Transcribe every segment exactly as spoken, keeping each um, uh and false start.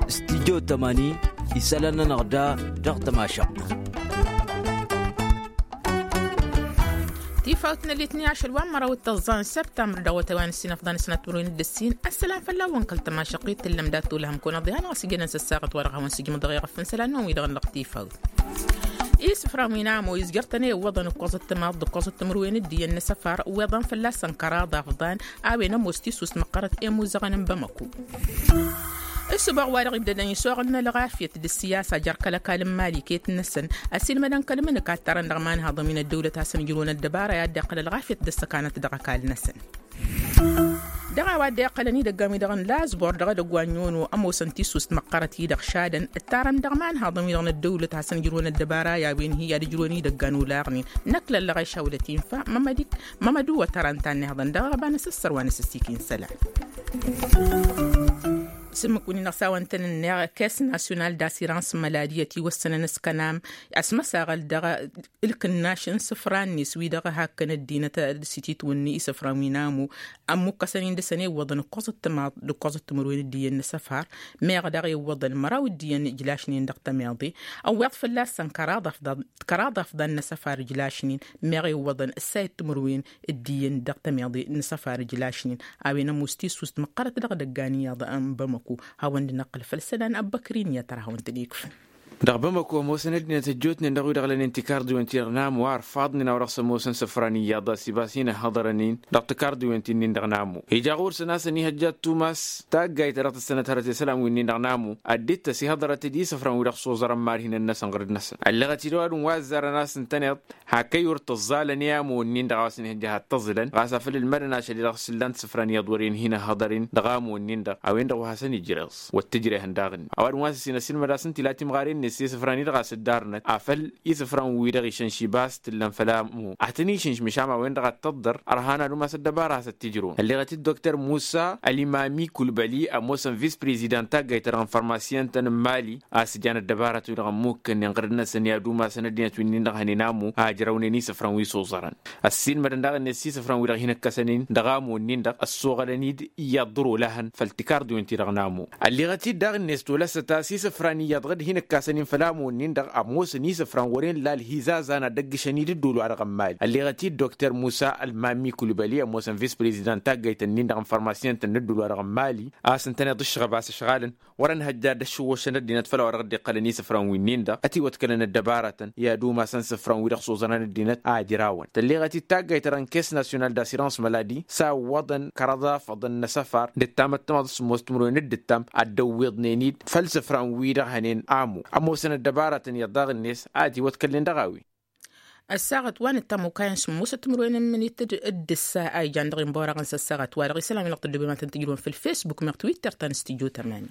Studyo tămani isălan-nănăɣ da dăɣ-tămašăɣt. Tifawt n-elitni ašăl wa n-măraw d-tăẓẓa n-săbtamr dăɣ-wătay wa n-ǝssin ăfḍan s-nătmăruin d-ǝssin. Ăssălam fălla-wăn kăl-tămašăɣt-i tǝllăm dat-tolăhăm kăwăn-ăḍihan ɣas ijănen s-ăssaɣăt wa dăɣ-hawăn-sǝjmǝḍ dăɣ-iɣăf n-isălan-năwăn wi-dăɣ n-dăɣ tifawt. Isǝfran wi n-amo izjăr-tăn i-iwwăḍăn ǝkkoẓăt timaḍ d-ǝkkoẓăt timǝrwen d-iyyăn n-asăfar iwweḍăn fălla-săn kăraḍ afḍan a-wen ămoos tisust măqqărăt i-imuzăɣăn n-bamăku. Ǝssǝboɣ wa dăɣ-ibdădăn isoɣǝl n-ălɣafyăt d-ǝssiyasa jer-kăl-ăkall n-imali iket-năsăn ăsilmădăn kăl-imǝnǝk a t-tarăn dăɣ-imanhaḍăn wi n-ăddăwlăt hasăn-ijrǝwăn ăddăbara i-ad-dd-iqqăl ălɣafyăt d-ăssăkanăt dăɣ-ăkall-năsăn. Dăɣ-a-wa dd-iqqălăn idăggan-wi-dăɣ n-lazbor dăɣ-edăgg wa n-yono ămoosăn tisust măqqărăt-i-dăɣ šadăn ǝttarăn dăɣ-imanhaḍăn-wi-dăɣ n-ăddăwlăt hasăn-ijrǝwăn ăddăbara i-a-wen hi-ad-ǝjrǝwăn idăggan olaɣnen. Năkk lăllăɣ išawlăt infa mămădu wa tăra n-tannihăḍăn dăɣ-aɣăba n-asǝssăr wa n-asǝssikin sălan. S-ǝmmǝk wǝnnin-dăɣ s-a-wăn tăn-ǝnneɣ kes nasyonal d-asirans măladi ătiwăssănăn s-kănam asmăsaɣăl dăɣ-ǝlkǝnnaš n-isǝfra-net wi-dăɣ hakkăn ăddinăt s-ititwǝnni isǝfran wi n-amu ămmukkăsăn-in dăɣ-săn iwwăḍăn ǝkkoẓăt timaḍ d-ǝkkoẓăt timǝrwen d-iyyăn n-asăfar. Meɣ daɣ iwwăḍăn măraw d-iyyăn ǝjlašnen dăɣ-tamiḍe ăwweḍ fălla-săn kăraḍ afḍan n-asăfar ǝjlašnen. Meɣ iwwăḍăn ǝssayăt timǝrwen d-iyyăn dăɣ-tamiḍe n-asăfar ǝjlašnen a-wen ămoos tisust măqqărăt dăɣ-edăggan iyyăḍ n-bamăko. Hawăn-dd-năqqǝl făll-isălan ăbbăkrin i-ad-tăr hawăn-tăn-ikfǝn. Dăɣ-bamăko ămoosăn ăddinăt ăjjootnen dăɣ-wi-dăɣ lănen tikardiwen-ti-dăɣ n-amu ar faḍnen a-wa dăɣ-s ămoosăn isǝfran iyyăḍ a-s ibas hin-ăhhăḍărăn-in dăɣ-tikardiwen-ti-nin-dăɣ n-amu. Ija ɣur-săn a-s ănihăjja ad-tumas taggayt ta dăɣ-tǝssănăt hărăt i-isălan wi-nin-dăɣ n-amu. Ad-dd-tăs ihăḍărăt-dd isǝfran wi-dăɣ s-oẓărăn marhinăn-năsăn ɣǝrǝd-năsăn ălleɣăt-dd ăwadǝm wa ăzzarăn a-s ǝntăneḍ hak ăyy wăr tǝẓẓalăn i-amu-nin-dăɣ a-wa s-ănihăjja ad-tăẓẓǝlăn ɣas afăl ǝlmădăn ašăl-i-dăɣ s-ǝllan tisǝfran iyyăḍ wăren hin-ăhhăḍăr-in dăɣ-amu-nin-dăɣ a-wen-dăɣ wa hasăn-ijj reẓ wăr t-ǝjrehăn daɣ-ǝnni ăwadǝm wa s-ǝssin ăsilmăd a-s ǝnta ila timɣaren-net s-isǝfran-i-dăɣ a-s ǝddarnăt afăl isǝfran-wi-dăɣ išănšibas tǝllăn făll-amu ad-tăn-išǝnš măšan a-wen-dăɣ ad-tăḍḍăr ărhan ad-umas ăddăbara a hasăn-t-ijrǝwăn ălleɣăt-dd dokter musa ălimami kulbăli ămoosăn vis-prezidant taggayt-ta-dăɣ n-farmasiyăn-tăn n-mali a-s ǝjan ăddăbaratăn-wi-dăɣ ămmukkănnen ɣǝrǝd-năsăn i-ad-umasăn ăddinăt wi-nin-dăɣ hănen amu a ǝjrăwnen isǝfran wi s-oẓărăn. Ăssiilmădăn daɣ-net s-isǝfran-wi-dăɣ hin-ǝkkăsăn-in dăɣ-amu-nin-dăɣ ăssoɣălăn-dd iyyăḍ ḍăr-olahăn făll-tikarḍiwen-ti-dăɣ n-amu. Ălleɣăt-dd daɣ-net tolăsăt a-s isǝfran iyyăḍ ɣǝd hin-ǝkkasăn-in făll-amu-nin-dăɣ ămoosăn isǝfran wăren lal hizazan ad-ăgg-išăn-dd ăddol-wa-dăɣ n-mali ălleɣăt-dd dokter musa ălmami kulbăli ămoosăn vis-prezidant taggayt-nin-dăɣ n-farmasiyăn-tăn n-ăddol-wa-dăɣ n-mali a-s ǝntăneḍ ǝššăɣăb a-s ǝšɣalăn wărăn hăjja ad-ăššăwwăšăn ăddinăt făll-a-wa dăɣ-dd-iqqălăn isǝfran wi-nin-dăɣ ătiwăḍkălăn ăddăbarătăn i-ad-umasăn isǝfran-wi-dăɣ s-oẓărăn ăddinăt a ǝjrawăn tălleɣăt-dd taggayt-ta-dăɣ n-kes nasyonal d-asirans măladi s-a ǝwwăḍăn kăraḍ afăḍăn n-asăfar d-ǝttam ăttămaḍ s-sǝmmos timǝrwen d-ǝttam ad-dd-ăwwiḍnen-dd făll-isǝfran-wi-dăɣ hănen amu ămoosăn ăddăbarătăn iyyăḍ daɣ-net a ătiwăḍkălnen dăɣ-a-wen. Ăssaɣăt wa n-ǝttam okayăn sǝmmosăt timǝrwen n-imǝnit d-ǝssa a ijan dăɣ-inbăwăraɣăn s-ăssaɣăt wa dăɣ-isălan wi n-dăɣ tǝddǝbem ad-tăn-tǝjrǝwăn făll-facebook meɣ twitter ta n-studyo tămani.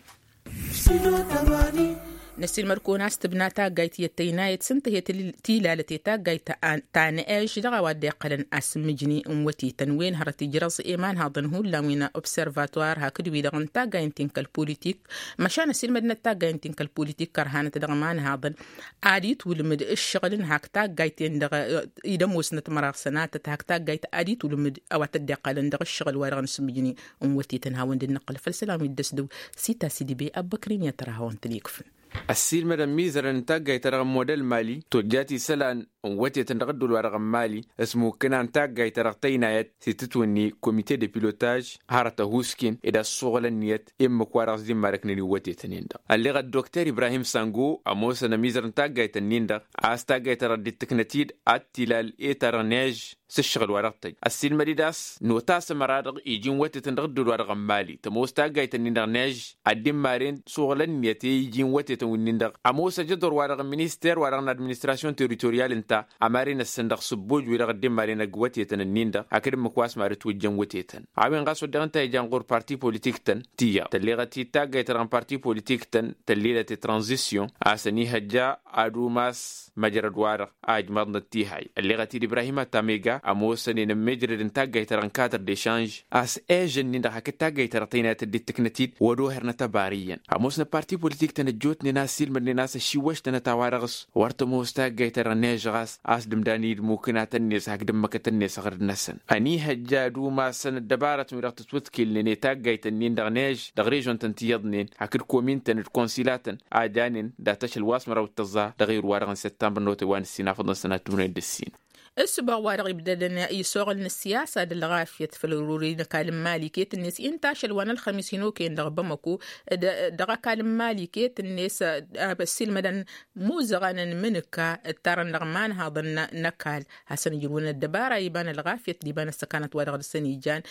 Năssiilmăd-kăwăn a-s tǝbna taggayt i-ăttăynayăt s-ǝnta hi-tilalăt i-taggayt ta n-ež dăɣ-a-wa dd-iqqălăn asǝmmǝjni n-wătetăn wen hărăt ijrăẓ i-imanhaḍăn hullan wi n-observatwar hakd-wi-dăɣ n-taggayen ti n-kăl-politik. Măšan ăsiilmădnăt taggayen ti n-kăl-politik kărhanăt dăɣ-imanhaḍăn ad-itwǝlmǝd ǝššăɣǝl n-hak taggayt-en-dăɣ i-dămoosnăt măraɣ sănatăt hak taggayt ad-itwǝlmǝd a-wa t-dd-iqqălăn dăɣ-ǝššăɣǝl wa dăɣ-nǝsǝmmǝjni n-wătetăn hawăn-dd-năqqǝl făll-isălan wi dd-ăsdăw. Sita s-idǝbe ăbbăkrin i-ad-tărha hawăn-tăn-ikfǝn. Ăssiilmădăn mizărăn n-taggayt-ta-dăɣ n-model mali tojjat isălan n-wătetăn dăɣ-ăddol-wa-dăɣ n-mali s-mukkǝna n-taggayt-ta-dăɣ tăynayăt s-itǝtwǝnni komite de pilotaj hărăt ăhuusken ed ăssoɣăl ǝnniyăt emmǝk-wa-dăɣ s-dd-immarăknen i-wătetăn-en-dăɣ ălleɣăt dokter ibrahim sango ămoosăn ămizăr n-taggayt-ǝnnin-dăɣ a-s taggayt-ta-dăɣ dd-tǝknăt-dd ad-t-ilal etarăɣ n-ež s-ǝššăɣǝl-wa-dăɣ tăjj ăssiilmăd-dd a-s notasăm ăra-dăɣ iji n-wătetăn dăɣ-ăddol-wa-dăɣ n-mali tămoos taggayt-ǝnnin-dăɣ n-ež ad-dd-imaren s-uɣǝl ǝnniyăt i-iji n-wătetăn wi-nin-dăɣ ămoos ăjăḍor-wa-dăɣ n-minister-wa-dăɣ n-administrasyon teritoryal ǝnta ămaren-năsăn dăɣ-sǝbboj wi-dăɣ dd-imaren ăgg wătetăn-ǝnnin-dăɣ hakd ǝmmǝk wa s-mad-ǝtwǝjjăn wătetăn. A-wen ɣas wădden ǝnta a ijan ɣur-parti politik-tăn tiyyăḍ tălleɣăt-dd taggayt-ta-dăɣ n-parti politik-tăn tăllilăt i-tranzisyon a-s ănihăjja ad-umas măjrăd-wa-dăɣ a ǝjmăḍnăt tihay ălleɣăt-dd ibrahim atamega ămoosăn-en ămmeejrăd n-taggayt-ta-dăɣ n-katăr d-ešanž a-s ežăn-nin-dăɣ hakd taggayt-ta-dăɣ tăynayăt dd-tǝknăt-dd wăr-oher n-atăbar iyyăn ămoosnăt parti politik-tăn ăjjootnen a-s ilmădnen a-s ăšiwăštănăt a-wa dăɣ-s wăr tămoos taggayt-ta-dăɣ n-ežăɣ. a-s d-ǝmdan i-dd mukǝnatăn-net hakd ǝmmǝkătăn-net aɣrǝd-năsăn. Ănihăjja ad-umasăn ăddăbarătăn wi-dăɣ tǝtwǝtkǝlnen i-taggayt-ǝnnin dăɣ-než dăɣ-režon-tăn ti iyyăḍnen hakd komin-tăn d-konsilatăn a janen dat-ašăl wa s-măraw d-tăẓẓa dăɣ-iru-wa-dăɣ n-săttămbăr n-otay wa n-ǝssin afăḍăn sănatmănăy d-ǝssin. Ǝssǝbaɣ wa-dăɣ ibdădăn i-isuɣǝl n-ǝssiyasa d-ălɣafyăt făll-ăruri n-ăkall n-imali iket-net inta ašăl wa n-ălxămis hin-okăyăn dăɣ-bamăko dăɣ-ăkall n-imali iket-net. Ăssiilmădăn imuzăɣăn n-imǝnǝka ǝttarăn dăɣ-imanhaḍăn n-ăkall hasăn-ǝjrǝwăn ăddăbara iba n-ălɣafyăt d-iba n-ăssăkanăt wa dăɣ-dăɣ-săn ijan.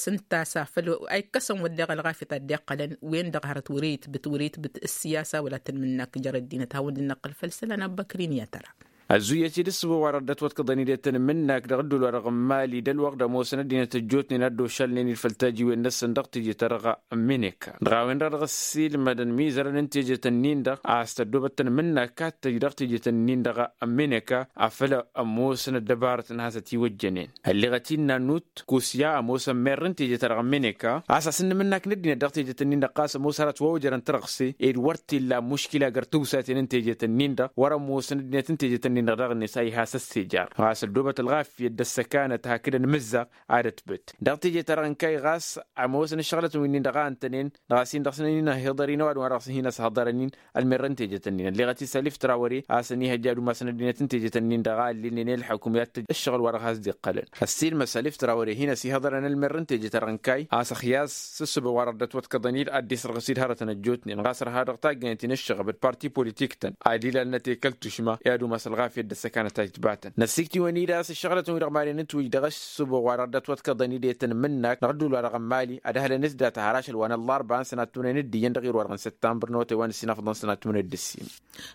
S-ǝnta a-s a făl a ikkăsăn wădden ălɣafyăt a dd-iqqălăn wen-dăɣ hărăt wăr-e itbǝt wăr-e itbǝt ǝssiyasa wăla tăn-imǝnnak jer-ăddinăt hawăn-dd-năqqǝl făll-isălan abbăkrin i-ad-tăra. Ăzzuyyăt-dd ǝssǝbo wa-dăɣ dd-ătwătkăḍăn-dd i-tăn-imǝnnak dăɣ-ădduul-wa-dăɣ n-imali d-ălwăqq d-ămoosăn ăddinăt ăjjootnen a dd-ošalnen-dd făll-tajiwen-năsăn dăɣ-teje-ta-dăɣ n-imǝnǝka dăɣ-a-wen-dăɣ dăɣ-ăssiilmădăn imizărăn n-teje-tăn-in-dăɣ a-s tăddoobăt tăn-imǝnnak ad-tăj dăɣ-teje-tăn-in-dăɣ n-imǝnǝka afăl ămoosăn ăddăbarăt n-ad-has-ătiwăjjănen. Ălleɣăt-in n-annut kusya ămoosăn merr n-teje-ta-dăɣ n-imǝnǝka a-s asǝnnǝm n-ak n-ăddinăt dăɣ-teje-tăn-in-dăɣ ɣas ămoos hărăt wa ojărăn tărɣse ed wăr t-illa muškila găr tawsaten n-teje-tăn-in-dăɣ wăr-ămoosăn ăddinăt n-teje-tăn-in-dăɣ daɣ-net a ihas ăssejăr ɣas ăddoobăt ălɣafyăt d-ăssăkanăt hakd ănmǝzzaɣ ad-ătbǝt dăɣ-teje-ta-dăɣ n-kayy ɣas ămoosăn ǝššăɣlătăn wi-nin-dăɣ a ǝntănen dăɣ-a-s-in dăɣ-săn ănihăḍăr-in ăwadǝm wa dăɣ-s hin-ăshăḍărăn-in ălmerrăn teje-tăn-in ălleɣăt-dd salif trawăre a-s ănihăjja ad-umasăn ăddinăt n-teje-tăn-in-dăɣ a ǝllinen i-ălḥukǝm i-ad-tăj ǝššăɣǝl wa dăɣ-has-dd-iqqălăn. Ăssiilmăd salif trawăre hin-ăsihăḍărăn ălmerrăn teje-ta-dăɣ n-kayy a-s ăxyas s-ǝssǝbăɣ wa dăɣ-dd-ătwătkăḍăn-dd ad-dd-isărɣǝs-dd hărătăn ăjjootnen ɣas ărha dăɣ-taggăyăn ti n-ǝššăɣăb d-parti politik-tăn ad-ilalnăt i-kăl-tušma i-ad-umas ălɣafyăt d-ăssăkanăt a itbatăn năssikt'-iwăn-dd a-s ǝššăɣlătăn-wi-dăɣ maren ǝntwǝj dăɣ-ǝssǝbăɣ wa dăɣ-dd-ătwătkăḍăn-dd i-tăn-imǝnnak dăɣ-ădduul-wa-dăɣ n-mali ad-ăhlăn s-data har ašăl wa n-ăllarba n-sănat timǝnăy n-ǝddǝyyăn dăɣ-irwa-dăɣ n-săttămbăr n-otay wa n-ǝssin afăḍăn sănat timǝnăy d-ǝssin.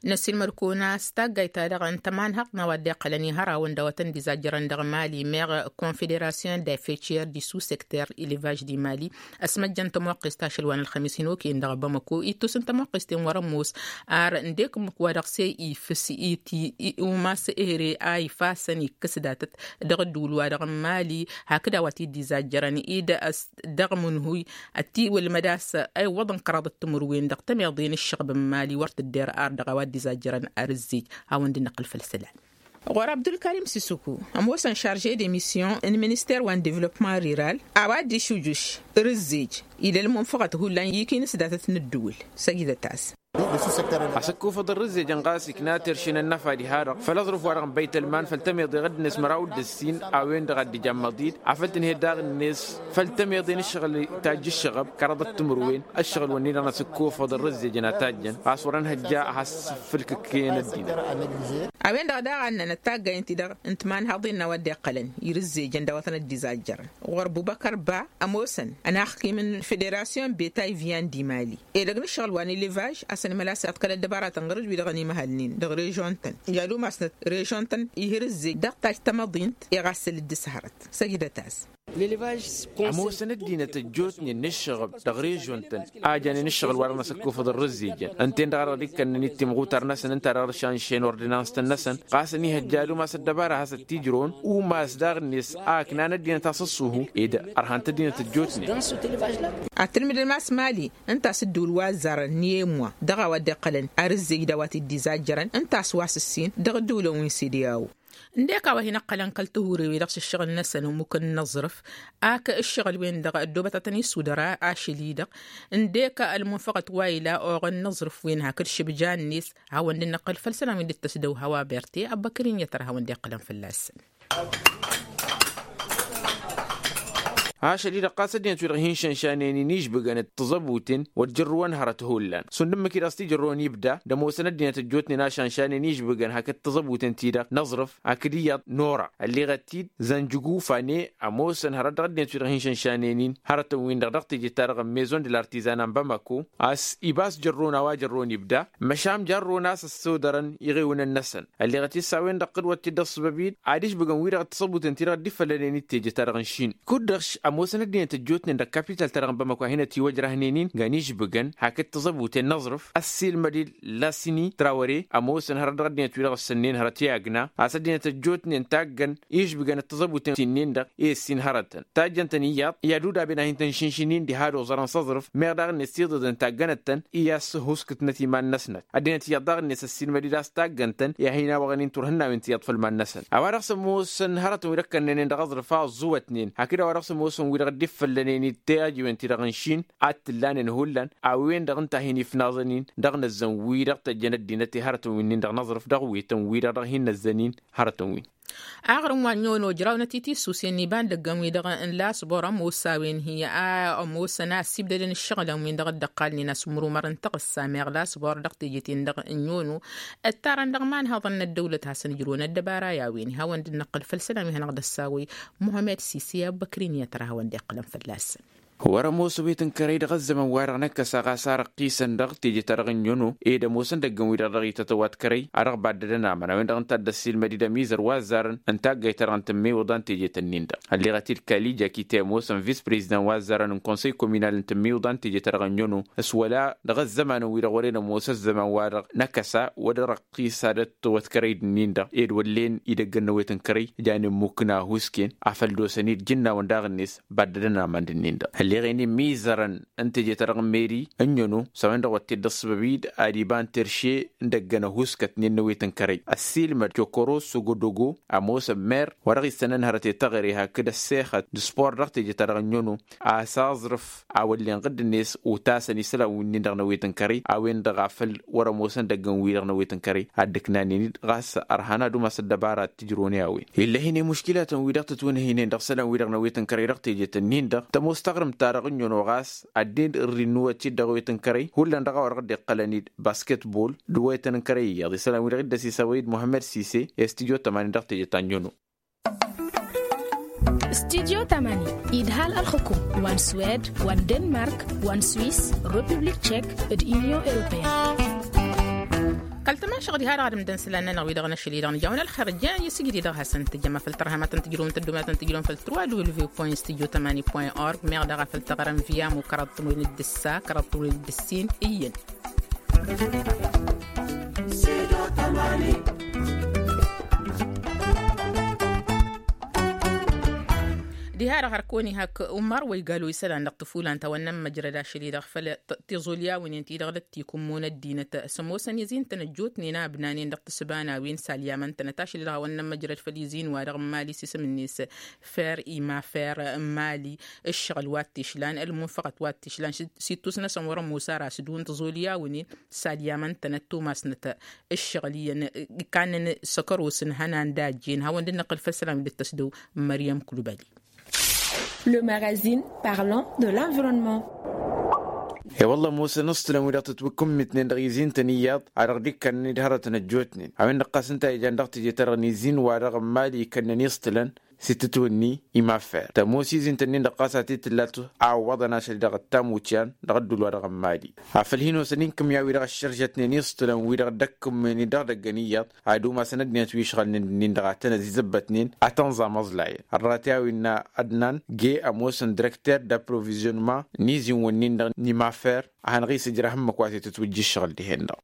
Năssiilmăd-kăwăn a-s taggayt-ta-dăɣ n-tămanhăḍt n-a-wa dd-iqqălăn ihărawăn d-a-wa tăn-dd-izajjărăn dăɣ-mali meɣ confederasyon d-afeciyăr d-isu sekter elevaj d-imali ăsmăjjăn tămoqqest ašăl wa n-ălxămis hin-okăyăn dăɣ-bamăko ittusǝn tămoqqest-en wăr-ămoos ar ǝndek ǝmmǝk wa dăɣ-se ifǝs iti umas ehre a ifasăn ikkǝs datăt dăɣ-ădduul wa dăɣ-mali hakd a-wa t-dd-izajjărăn-dd dăɣ-mǝnhuy ătiwălmăd a-s a iwwăḍăn kăraḍăt timǝrwen dăɣ-tămeḍe n-ǝššăɣb n-mali wăr tǝdder ar dăɣ-a-wa dd-izajjărăn ar ǝzzej. Hawăn-dd-năqqǝl făll-isălan. Ɣur-abdulkarim sisuku ămoosăn šarže d-emisyon n-minister wa n-devlopman riral a-wa dd-išujuš rǝzzej ila ălmunfăɣăt hullan ikinǝs datăt n-ǝddǝwǝl. Săjdăt-as. Asǝkkufăḍ n-rǝzzejăn ɣas ikna terše n-ănnăfa diha-dăɣ făll-aẓrǝf-wa-dăɣ n-băytălman făll-tămeḍe ɣǝddǝnet măraw d-ǝssin a-wen-dăɣ a dd-ija ămmăḍ-dd afăl tǝnhăyăt daɣ-net făll-tămeḍe n-ǝššăɣǝl tajj ǝššăɣăb kăraḍăt timǝrwen. Ǝššăɣǝl-wǝnnin-dăɣ n-asǝkkufăḍ n-rǝzzejăn a tajjăn ɣas wăr-ănhăjja ad-has-ǝffǝlkǝkkăyăn ăddinăt. A-wen-dăɣ daɣ a ǝnnănăt taggayǝn-ti-dăɣ n-timanhaḍin n-a-wa dd-iqqălăn irǝzzejăn d-a-wa tăn-dd-izajjărăn ɣur-bubăkăr ba ămoosăn ănaxkim n-federasyon betay viyan d-imali edăgg n-ǝššăɣǝl wa n-elevaj a-s ănmăl a-s iḍkăl ăddăbaratăn ɣur-dd-wi-dăɣ ănimăhălnen dăɣ-režon-tăn i-ad-umasnăt režon-tăn ihǝr ǝzzej dăɣ-tajj tamăḍint i-ɣas săl dd-ǝshărăt. Săjdăt-as. Ămoosăn ăddinăt ăjjootnen n-ǝššăɣăb dăɣ-režon-tăn a janen ǝššăɣǝl wa dăɣ-năsăkkufăḍ ărrǝzzejăn ǝnta-en-dăɣ a dăɣ-dd-ikkănnăn-dd timɣutar-năsăn ǝnta a dăɣ-dd-šanšen ordănans-tăn-năsăn ɣas ănihăjja ad-umas ăddăbara a has-ăttijrăwăn umas daɣ-net a ǝknan ăddinăt a-s ăṣṣuhu ed ărhant ăddinăt ăjjootnen. Ad-tǝlmǝdăm a-s mali ǝnta a-s ǝddǝwǝl wa ăzzarăn n-emwa dăɣ-a-wa dd-iqqălăn arǝzzej d-a-wa t-dd-izajjărăn ǝnta a-s wa s-ǝssin dăɣ-ǝddǝwǝlăn wi n-sede a-wu. Ǝndek a-wa hin-ǝqqălăn kăl-tihurewin dăɣ-s ǝššăɣǝl-năsăn ămmuk n-inǝẓrǝf ak ǝššăɣǝl-wen-dăɣ ăddoobăt ad-tăn-issudăr ašăl-i-dăɣ ǝndek ălmunfăɣăt wa ila oɣăn n-inǝẓrǝf-wen hakd šǝbja-net. Hawăn-dd-năqqǝl făll-isălan wi n-dd-tăsdăw hawa berte ăbbăkăr-in i-ad-tăr hawăn-dd-iqqǝlăn fălla-săn. Ašăl-i-dăɣ ɣas ăddinăt-wi-dăɣ hin-šănšanen-in išbǝgăn d-tiẓăbuten wăr jărrǝwăn hărăt hullan šund ǝmmǝk-i-dăɣ s-t-ijărrǝwăn ibda d-ămoosăn ăddinăt ăjjootnen a šănšanen išbǝgăn hakd tiẓăbuten-ti-dăɣ n-aẓrǝf hakd iyyăḍ n-ora ălleɣăt-dd zănjǝgu fane ămoosăn hărăt dăɣ-ăddinăt-wi-dăɣ hin-šănšanen-in hărătăn-win-dăɣ dăɣ-teje-ta-dăɣ n-maison de lartizan n-bamako a-s ibas jărrǝwăn a-wa jărrǝwăn ibda. Măšan jărrǝwăn a-s ăssodărăn iɣewǝnăn-năsăn ălleɣăt-dd s-a-wen-dăɣ tǝdwăt-t-dd ăṣṣăbăb-in ad-išbǝgăn wi-dăɣ d-tiṣăbuten-ti-dăɣ dd-ifăllănen d-teje-ta-dăɣ n-šin kud-dăɣ. ămoosăn ăddinăt ăjjootnen dăɣ-kapital-ta-dăɣ n-bamăko ad-hin-ătiwăjrăhnen-in gan išbǝgăn hakd tiẓăbuten n-aẓrǝf ăssiilmăd-dd lasini trawăre ămoosăn hărăt dăɣ-ăddinăt-wi-dăɣ ǝssănnen hărăt i-agna a-s ăddinăt ăjjootnen taggăn išbǝgăn d-tiẓăbuten-ti-nin-dăɣ i-ǝssin hărătăn tajjăn-tăn iyyăḍ i-ad-udaben ad-hin-tăn-išǝnšǝn-in diha d-oẓărăn s-aẓrǝf meɣ daɣ-net iḍǝḍen taggănăt-tăn i-a-s huskǝtnăt iman-năsnăt ăddinăt iyyăḍ daɣ-net ăssiilmăd-dd a-s taggăn-tăn i-ad-hin-awăɣăn-in turhǝnnawen ti iyyăḍ făll-iman-năsăn a-wa dăɣ-s ămoosăn hărătăn wi dăɣ-kănnănen dăɣ-aẓrǝf a ăẓẓuwătnen hakd a-wa dăɣ-s ămoosăn wi dăɣ-dd-iffăllănen-dd teajiwen-ti-dăɣ n-išin ad-t-ǝllanen hullan a-wen-dăɣ ǝnta a hin-ifnaẓăn-in dăɣ-inăzzăn wi-dăɣ tăjjăn ăddinăt i-hărătăn wi-nin-dăɣ n-aẓrǝf dăɣ-wetăn wi-dăɣ dăɣ-hin-năzzăn-in hărătăn-win. Aɣrǝm wa n-iyyăn ojrawnăt i-tisusen iba n-idăggăn-wi-dăɣ n-lasbor ămoos a-wen hi-a ămoosăn a ăssibdădăn ǝššăɣǝlăn-win-dăɣ dd-ăqqalnen asǝmmărumăr n-tăɣǝssa meɣ lasbor dăɣ-teje-ten-dăɣ n-iyyăn ǝttarăn dăɣ-imanhăḍăn n-ăddăwlăt hasăn-ǝjrǝwăn ăddăbara i-a-wen i-hawăn dd-năqqǝl făll-isălan wi hanăɣ-dd-ăssawăy muhămed sisi i-abbăkrin i-ad-tărhawăn dd-iqqǝlăn fălla-săn. Wăr-ămoos ăwet n-kărăy dăɣ-ăzzăman-wa-dăɣ n-ăkkăs a ɣas ar ăqqisăn dăɣ-teje-ta-dăɣ n-iyyăn-o ed ămoosăn idăggăn-wi-dăɣ dăɣ-itătăwat kărăy a dăɣ-baddădăn aman a-wen-dăɣ ǝnta a dd-ăssiilmăd-dd ămizăr wa ăzzarăn n-taggayt-ta-dăɣ n-tǝmmiwǝḍa n-teje-tăn-in-dăɣ ălleɣăt-dd kalija kitemos n-vis-prezidăn wa ăzzarăn n-konsăy kominal n-tǝmmiwǝḍa n-teje-ta-dăɣ n-iyyăn-o s-wăla dăɣ-ăzzămanăn-wi-dăɣ wăren ămoos ăzzăman-wa-dăɣ n-akăsa wăr-ăqqis ad-ăttăwăt kărăy d-ǝnnin-dăɣ ed wăllen idăggăn n-ewet n-kărăy janen mukna husken afăl d-osăn-dd jǝnnawăn daɣ-net baddădăn aman d-ǝnnin-dăɣ ălleɣen imizărăn n-teje-ta-dăɣ n-meri ǝnnyăno s-a-wen-dăɣ wătted d-ăṣṣăbăb-dd ad-iba n-terše n-idăggăn ăhuskătnen n-ewet n-kărăy ăssiilmăd kiokoros sogodogo ămoosăn mer wa dăɣ-issănăn hărăt i-taɣre hakd ăssexăt d-spor dăɣ-teje-ta-dăɣ ǝnnyăno a-s aẓrǝf a wăllen ɣǝdd-net utasăn isălan wi-nin-dăɣ n-ewet n-kărăy a-wen-dăɣ a făl wăr-ămoosăn idăggăn-wi-dăɣ n-ewet n-kărăy ad-dd-ǝknanen-dd ɣas ărhan ad-umas ăddăbara ad-t-ǝjrǝwăn i-a-wen. Illa hin-i muškilatăn-wi-dăɣ tǝtwǝnhǝynen dăɣ-isălan-wi-dăɣ n-ewet n-kărăy dăɣ-teje-tăn-in-dăɣ tămoos taɣrǝmt-ta-dăɣ ǝnnyăno ɣas ad-dd-irri n-inuwăt-dd dăɣ-ewet n-kărăy hullan dăɣ-a-wa dăɣ-dd-iqqălăn-dd basketbol d-ewetăn n-kărăy iyyăḍ isălan-wi-dăɣ dd-ăsisăwăy-dd muhămmăd sise i-studyo tămani dăɣ-teje ta n-iyyăn-o. Studyo tămani idhal ălxǝkum wa n-swed wa n-denmark wa n-swis republik tšek d-inyon europeyăn. Kăl-tămašăɣ diha-dăɣ ad-ǝmdăn isălan-nănăɣ wi-dăɣ n-ašăl-i-dăɣ nǝja-wăn ălxer ǝjjăyăn i-sǝjdǝy dăɣ-hasăn-tǝjjăm afăl tărha ma tăn-tǝjrǝwăm tăddomayăn tăn-tǝjrǝwăm făll-tǝrwa d-ulve point studyo tămani point org meɣ daɣ afăl tăɣrăm via mukărăḍ tǝmwil d-ǝssa kărăḍ tǝmwil d-ǝssin iyyăn. Diha-dăɣ hărkăwăn-i hak ummar wa igalo isălan dăɣ-tǝfulan ta wănnăn măjrăd ašăl-i-dăɣ făll-tiẓulyawen-in ti-dăɣ dd-tikǝmmun ăddinăt s-ămoosăn izin-tăn ăjjootnen a ǝbnanen dăɣ-tǝssǝba n-a-wen s-alyaman-tănăt ašăl-i-dăɣ a wănnăn măjrăd făll-izin-wa-dăɣ n-mali s-isǝm-net fer imafer n-mali ǝššăɣǝl wa t-išlan ălmunfăɣăt wa t-išlan s-ittus-năsăn wăr-ămoos ara s-dun tǝẓulyawen-in s-ad-yamăn-tănăt tumasnăt ǝššăɣǝl iyyăn. Kannăn s-ăkăros n-ihănan d-ajjen hawăn-dd-năqqǝl făll-isălan wi dd-tăsdăw. Măryăm kulbali. Le magazine parlant de l'environnement. E-wălla ămoosăn ǝṣṭǝlăn wi dăɣ-tǝtwǝkkǝmmitnen dăɣ-izin-tăn iyyăḍ a dăɣ-dd-ikkănnăn-dd hărătăn ăjjootnen a-wen-dăɣ ɣas ǝnta a ijan dăɣ-teje-ta-dăɣ n-izin-wa-dăɣ n-mali ikkănnăn iṣṭǝlăn s-itǝtwǝnni. Imafer tămoos izin-tăn-in-dăɣ ɣas a t-tǝllat a ǝwwăḍăn ašăl-i-dăɣ ăttamucyan dăɣ-ădduul-wa-dăɣ n-mali. Afăl hin-osăn inkǝmya wi-dăɣ ăššărjătnen iṣṭǝlăn wi-dăɣ dd-ăkkǝmmǝyăn-dd dăɣ-idăgg ăniyyăḍ ad-umasăn ăddinăt wi ǝšɣălnen d-ǝnnin-dăɣ ad-tăn-ăzizăbbătnen ad-tăn-ẓamăẓlayăn ărrăt i-a-wen n-adnan ge ămoosăn direkter d-aprovizionnement n-izin-wǝnnin-dăɣ n-imafer. A hanăɣ-isǝjrăh ǝmmǝk wa t-tǝtwǝjja ǝššăɣǝl dihen-dăɣ.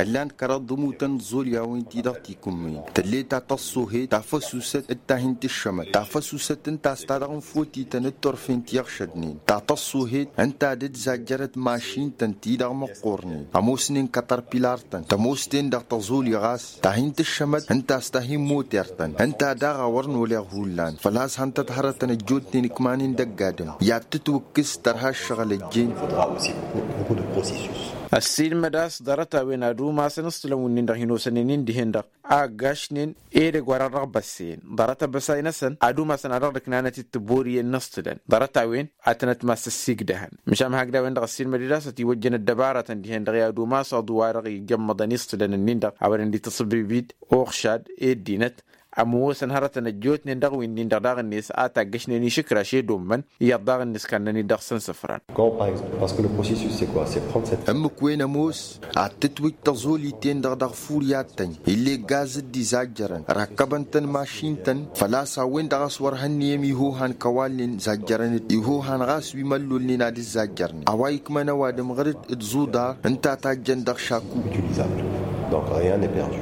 Ǝllan kăraḍ d-ămutăn n-iẓolyawen-ti-dăɣ tikǝmmǝyăn tăllet ta tăṣṣuhet ta făsusăt d-ta hin-tǝššămăt ta făsusăt ǝnta a-s ta dăɣ-nǝfotităn d-turfen ti ăɣšădnen ta tăṣṣuhet ǝnta a dd-zajjărăt mašin-tăn ti-dăɣ măqqornen ămoosnen kătărpilar-tăn tămoos-ten dăɣ-tăẓoli ɣas ta hin-tǝššămăt ǝnta a-s ta hin-moter-tăn ǝnta daɣ a wăr n-oleɣ hullan făl-a-s hăn-tăt hărătăn ăjjootnen ǝkmanen dăgg-adǝm i-ad-tǝtwǝkkǝs tărha ǝššăɣǝl ăjjeen. Ăssiilmăd a-s ḍarăt-a-wen ad-umasăn ǝṣṭǝlăn wǝnnin-dăɣ hin-osănen-in dihen-dăɣ a ăggašnen edăgg wa-dăɣ dăɣ-băssăyăn ḍarăt abăsay-năsăn ad-umasăn a dăɣ-dd-ǝknanăt-dd tiburiyen n-iṣṭǝlăn ḍarăt-a-wen ad-tănăt-mas-ăssigdăhăn. Măšan ma hakd a-wen-dăɣ ăssiilmăd-dd a-s ătiwăjjăn ăddăbaratăn dihen-dăɣ i-ad-umas aḍu wa-dăɣ ijămmăḍăn iṣṭǝlăn-ǝnnin-dăɣ a wărăn dd-itǝṣǝbib-dd uɣšad i-ăddinăt. ămoosăn hărătăn ăjjootnen dăɣ-winnin-dăɣ daɣ-net a taggăšnen išǝkraš i-dd-ommăn iyyăḍ daɣ-net kannăn-dd dăɣ-săn sǝfran. Quand par exemple parce que le processus c'est quoi? C'est prendre cette. Ǝmmǝk-wen ămoos ad-tǝtwǝj tăẓolit-en-dăɣ dăɣ-fur i-ad-tăn ill'-e gaz dd-izajjărăn rakkăbăn-tăn mašin-tăn. Făl-a-s a-wen-dăɣ a-s wăr hănniyăm ihohan kăwalnen zajjărăn-dd ihohan ɣas wi măllolnen ad-ǝzzajjărnen a-wa ikmăn ăwadǝm ɣǝr-dd d-zuḍar ǝnta a tajjăn dăɣ-šaku. Utilisable. Donc rien n'est perdu.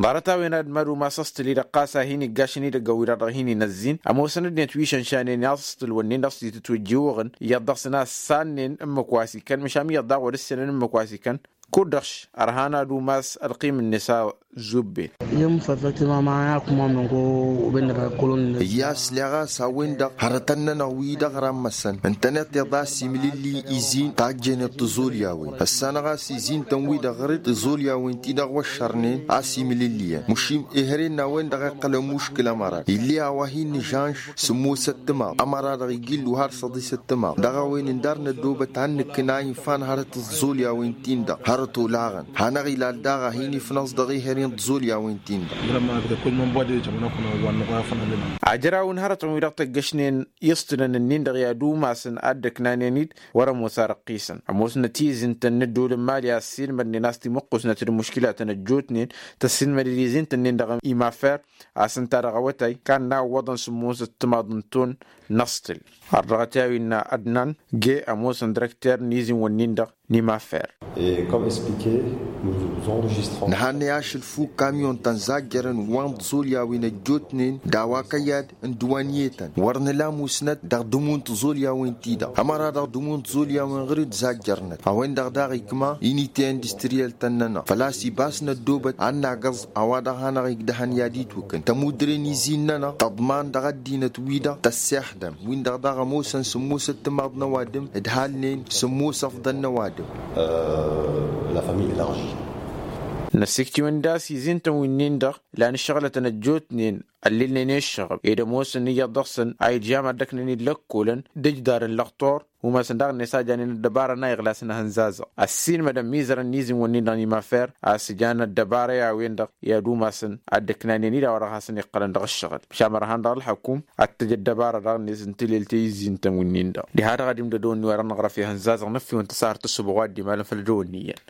Ḍarăt-a-wen ad-mad-umas ăṣṭǝl-i-dăɣ ɣas a hin-iggašăn idăggăn-wi-dăɣ dăɣ-hin-inăzzin ămoosăn-dd-net wi išănšanen i-aṣṭǝl-wǝnnin dăɣ-s itǝtwǝjjǝwăɣăn iyyăḍ dăɣ-săn a ăssannăn ǝmmǝk wa s-ikăn măšan iyyăḍ daɣ wăr-ǝssinăn ǝmmǝk wa s-ikăn. Kud-dăɣ ărhan ad-umas ălqim-net a zubben. Iyyăḍ s-leɣ a-s a-wen-dăɣ hărătăn-nănăɣ wi-dăɣ rammăsăn ǝntăneḍ-teḍ a-s imǝlǝlli izin tajjăynet tǝẓolyawen ăssanăɣ a-s izin-tăn-wi-dăɣ ɣǝr-dd tǝẓolyawen-ti-dăɣ wăššărnen a-s imǝlǝlliyăn măšin ehăren n-a-wen-dăɣ iqqăl ămuškǝl ămăra ill'-e a-wa hin-nǝžanš sǝmmosăt timaḍ ămăra-dăɣ ijillu har săḍisăt timaḍ dăɣ-a-wen ǝndar n-ăddoobăt ad-nǝkkǝn a infan hărăt tǝẓẓolyawin-tin-dăɣ hărăt olaɣăn hanăɣ-ilal daɣ a hin-ifnăẓ dăɣ-ehăren tǝẓẓolyawin-tin-dăɣ. Ajăraw n-hărătăn-wi-dăɣ tăggăšnen iṣtǝlăn-ǝnnin-dăɣ i-ad-umasăn ad-dd-ăknanen-dd wăr-ămoos ar ăqqisăn ămoosnăt izintăn n-ăddol n-imali a ăssiilmădnen a-s timǝqqusnăt d-imuškilatăn ăjjootnen tăssiilmăd-dd izintăn-nin-dăɣ imafer a-s ǝnta dăɣ-awătay kannăn a ǝwwăḍăn sǝmmosăt timaḍ n-ton n-aṣṭǝl. Ărdăɣăt i-a-wi innă ădnan ge ămoosăn dăr-ăkter n-izin-wǝnnin-dăɣ n-imafer. Nǝhannăy ašăl fuk kamyon-tăn zajjărăn wa n-tiẓolyawen ăjjootnen d-a-wa kăyy ad-ǝndǝwăn i-tăn wăr nǝla musnăt dăɣ-dǝmu n-tiẓolyawen-ti-dăɣ ămăra dăɣ-dǝmu n-tiẓolyawen ɣǝr-dd zajjărnăt a-wen-dăɣ daɣ ikma inite industriyel-tăn-nănăɣ făl-a-s ibas n-ăddoobăt ad-nagăẓ a-wa dăɣ-hanăɣ-igdăhăn i-ad-itwǝkǝn tămudre n-izin-nănăɣ tăḍman dăɣ-ăddinăt-wi-dăɣ tăssexdăm win-dăɣ daɣ ămoosăn sǝmmosăt timaḍ n-ăwadǝm d-halnen sǝmmos ăfḍăn n-ăwadǝm. La famille elargi. Năsiktiwăn d-a-s izin-tăn winnin-dăɣ lan ǝššăɣlătăn ăjjootnen ăllilnen i-ǝššăɣǝb ed ămoosăn iyyăḍ dăɣ-săn a ijam ad-dd-ăknăn-dd lăkkolăn d-ǝjdar n-lăxtor umasăn daɣ-net a janen ăddăbara n-a iɣlasăn ahǝnzazăɣ ăssiilmădăn mizărăn n-izin-wǝnnin-dăɣ n-imafer a-s ǝjan ăddăbara i-a-wen-dăɣ i-ad-umasăn ad-dd-ǝknanen-dd a-wa dăɣ-hasăn-iqqălăn dăɣ-ǝššăɣǝl măšan mărhan dăɣ-ălxăkum ad-t-ăj ăddăbara daɣ-net n-tilelt i-izin-tăn wǝnnin-dăɣ diha-dăɣ ad-imdăd-ăwăn n-iwărăn ăɣrăf ihăn zazăɣ n-ăffiwăn tăsarăt tăssubăɣ wa dd-imalăn făll-ădăwănniyăn.